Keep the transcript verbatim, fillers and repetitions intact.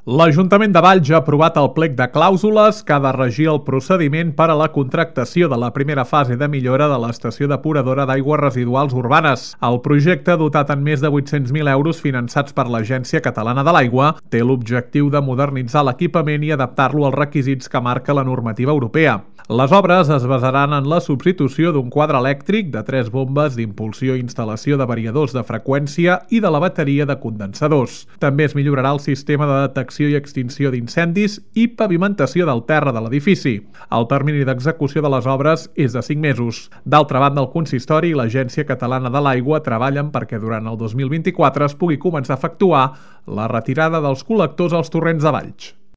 L'Ajuntament de Valls ha aprovat el plec de clàusules que ha de regir el procediment per a la contractació de la primera fase de millora de l'estació depuradora d'aigües residuals urbanes. El projecte, dotat en més de vuit-cents mil euros finançats per l'Agència Catalana de l'Aigua, té l'objectiu de modernitzar l'equipament i adaptar-lo als requisits que marca la normativa europea. Les obres es basaran en la substitució d'un quadre elèctric, de tres bombes d'impulsió i instal·lació de variadors de freqüència i de la bateria de condensadors. També es millorarà el sistema de detecció i extinció d'incendis i pavimentació del terra de l'edifici. El termini d'execució de les obres és de cinc mesos. D'altra banda, el Consistori i l'Agència Catalana de l'Aigua treballen perquè durant el dos mil vint-i-quatre es pugui començar a efectuar la retirada dels col·lectors als torrents de Valls.